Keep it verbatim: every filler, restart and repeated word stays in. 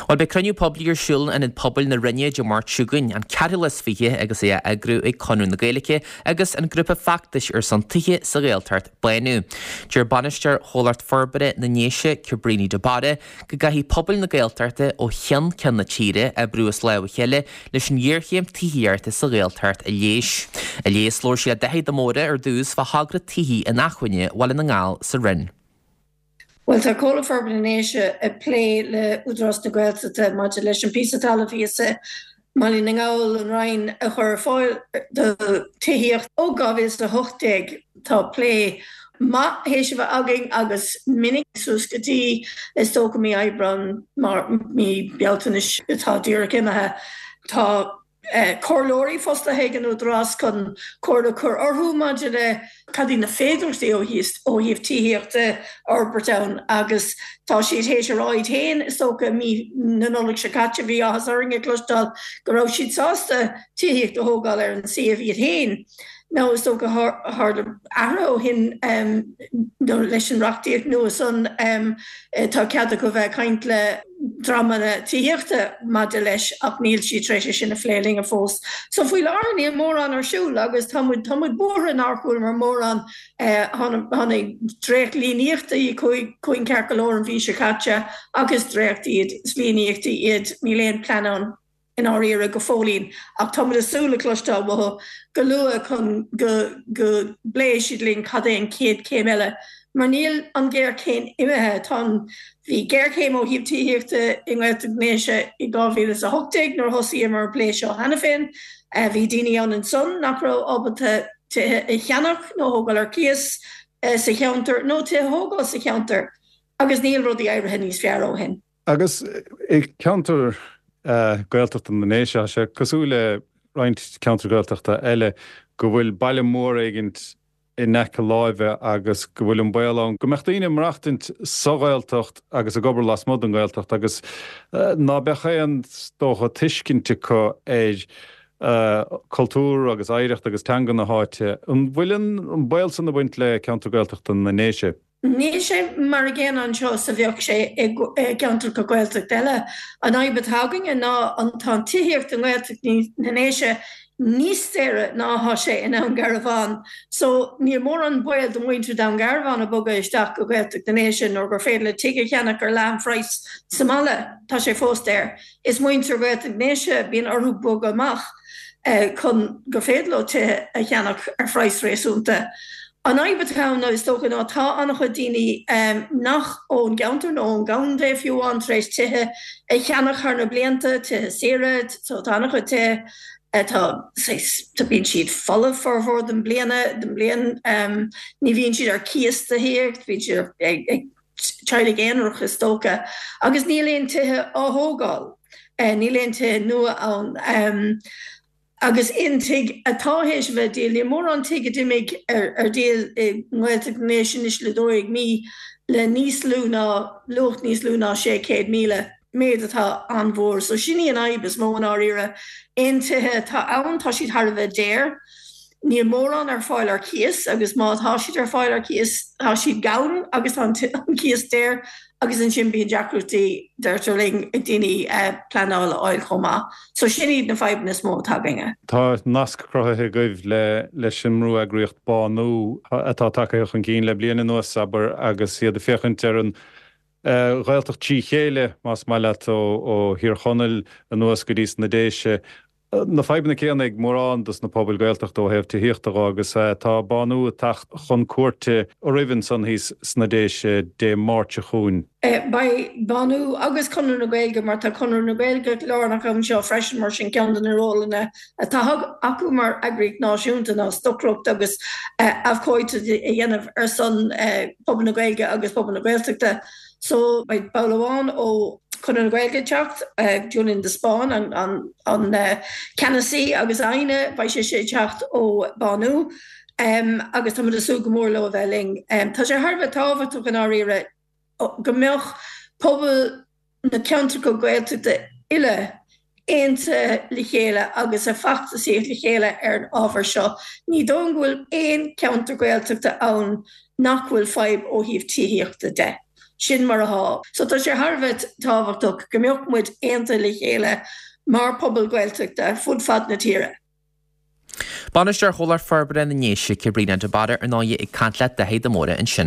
Bhuel, beidh cruinniú poiblí ar siúl in Ionad Pobail na Rinne Dé Máirt seo chugainn, an ceathrú lá is fiche agus é á eagrú ag Conradh na Gaeilge agus an grúpa feachtais ar son tithe sa Ghaeltacht, Bánú. Deir bainisteoir Chomhlacht Forbartha na nDéise, Cabríní de Barra, go gcaithfidh pobail na Gaeltachta ó cheann ceann na tíre oibriú as lámh a chéile leis an ghéarchéim tithíochta sa Ghaeltacht a leigheas. A leigheas labhair sí le Daithí de Mórdha ar dtús fá thogra tithe inacmhainne Bhaile na nGall sa Rinn. Bhuel tá Comhlacht Forbartha na nDéise ag plé le Údarás na Gaeltachta maidir leis an píosa talaimh thíos i mBaile na nGall, an Rinn, a chur ar fáil do tithíocht. Ó dhá mhíle is a hocht déag tá plé maith théis a bheith againn agus minic suas go dtí is dócha mí Aibreán mar mí Bealtaine atá díreach imithe. Tá comhairleoirí fostaithe ag an Údarás chun comhairle a chur orthu maidir le cad iad na féidearthachtaí ó ó thaobh tithíochta a fhorbairt ann agus tá siad théis a rá iad féin is dócha mí na Nollag seo caite bhí áthas orainn a chloisteáil go raibh siad sásta tithíocht a thógáil ar an suíomh iad féin. Nó is dócha tharla athrú ó shin leis an reachtaíocht nua san tá cead acu bheith ag caint le dreamanna tithíochta maidir leis ach níl siad tar éis é sin a phlé linn fós. So faoi láthair níl mórán ar siúl agus tá muid tá muid buartha nár chualamar mórán tháinig dréacht-líníochtaí chugainn ceart go leor an mhí seo caite ach is dréacht iad, is líníochtaí iad, níl aon plean ann. i ndáiríre go fóillín ach tá muid ag súil le cloisteáil uathu go luath chun go go bpléifidh siad linn cad é an chéad chéim eile mar níl an ghéarchéim imithe. Tá an bhí géarchéim ó thaobh tithíochta i nGaeltacht na nDéise i dhá mhíle is a hocht déag nuair a thosaíomar an plé seo cheana féin. Bhí daoine ann ansan nach raibh ábalta tithe a cheannach nó a thógáil ar cíos sa cheantar nó tithe a thógáil sa cheantar agus níl rudaí éirithe níos fearr ó shin. Agus i gceantar Gaeltachta na nDéise, tá sé cosúil le roinnt ceantar Gaeltachta eile go bhfuil baile mór éigint in aice láimhe agus go bhfuil an baol ann go mbeadh daoine ag maireachtaint sa Ghaeltacht agus ag obair lasmuigh den Ghaeltacht agus ná beadh aon, is dócha, tuiscint acu ar chultúr agus oidhreacht agus teanga na háite. An bhfuil an baol san ag baint le ceantar Gaeltachta na nDéise? Níl sé mar a gcéanna anseo is a bheadh sé i gceantracha Gaeltachta eile. An fhadhb atá againne ná an tá an tithíocht i nGaeltacht na nDéise níos daoire ná atá sé i nDún Garbhán. So níl mórán baol do mhuintir Dún Garbhán a bogadh isteach go Gaeltacht na nDéise nuair gur féidir le tigh a cheannach ar leath an phraghas sa mbaile. Tá sé fós daor. Is muintir Ghaeltacht na nDéise bíonn orthu bogadh amach chun gur féidir leo tithe a cheannach ar phraghas réasúnta. An fhadhb atá ann is dócha ná tá an-chuid daoine nach ón gceantar nó ón gcontae fiú amháin tar éis tithe a cheannach thar na blianta, tithe saoire, so tá an-chuid tithe atá saghas, tá bíonn siad folamh formhór den bliana, den bhliain, ní bhíonn siad ar cíos de shíor, bíonn siad ag ag teaghlaigh aonarach is dócha agus níl aon tithe á thógáil, níl aon tithe nua ann. Agus aon tigh atá théis a bheith díol, níl mórán tigh a d'imigh ar díol i nGaeltacht na nDéise anois le dó dhéag mí le níos lú ná, luach níos lú ná sé chéad míle, méid atá an-mhór. So sin í an fhadhb is mó i ndáiríre. Aon tithe atá ann, tá siad thar a bheith daor. Níl mórán ar fáil ar cíos agus má tá siad ar fáil ar cíos, tá siad gann agus tá an cíos daor. Agus ansin bíonn deacrachtaí, deirtear linn, ag daoine pleanáil a fháil chomh maith. So sin iad na fadhbanna is mó atá againne. Tá nasc cruthaithe agaibh le leis an mbrú-eagraíocht Bánú atá tagtha chun cinn le bliain anuas, abair, agus iad ag féachaint ar an Ghaeltacht trí chéile, más maith leat, ó Thír Chonaill anuas go dtí sna Déise. Na fadhbanna céanna ag mórán dos na pobail Gaeltachta ó thaobh tithíochta dho agus tá Bánú ag teacht chun cuairte oraibh ansan thíos sna Déise Dé Máirt seo chugainn. Beidh Bánú agus Conradh na Gaeilge, mar tá Conradh na Gaeilge lárnach anseo freisin mar sin ceann de na rólanna atá acu mar eagraíocht náisiúnta ná stocaireacht agus abhcóideacht a dhéanamh ar son pobal na Gaeilge agus pobal na Gaeltachta. So beidh ball amháin ó Chonradh na Gaeilge ag teacht, Julian de Spáinn, an an ceannasaí agus Áine, beidh sise ag teacht ó Bánú agus tá muid ag súil go mór leo a bheith linn. Tá sé thar a bheith tábhachtach i ndáiríre go mbeadh pobal na ceantracha Gaeltachta uile aontaithe le chéile agus ag feachtasaíocht le chéile ar an ábhar seo. Ní dóigh liom go bhfuil aon cheantar Gaeltachta ann nach bhfuil fadhb ó thaobh tithíochta de. Sin mar atá. So tá sé thar a bheith tábhachtach go mbeadh muid aontaithe le chéile mar pobal Gaeltachta fud fad na tíre. Bainisteoir Chomhlacht Forbartha na nDéise Caitríona de Barra ar ndóigh ag caint le Daithí de Mórdha ansin.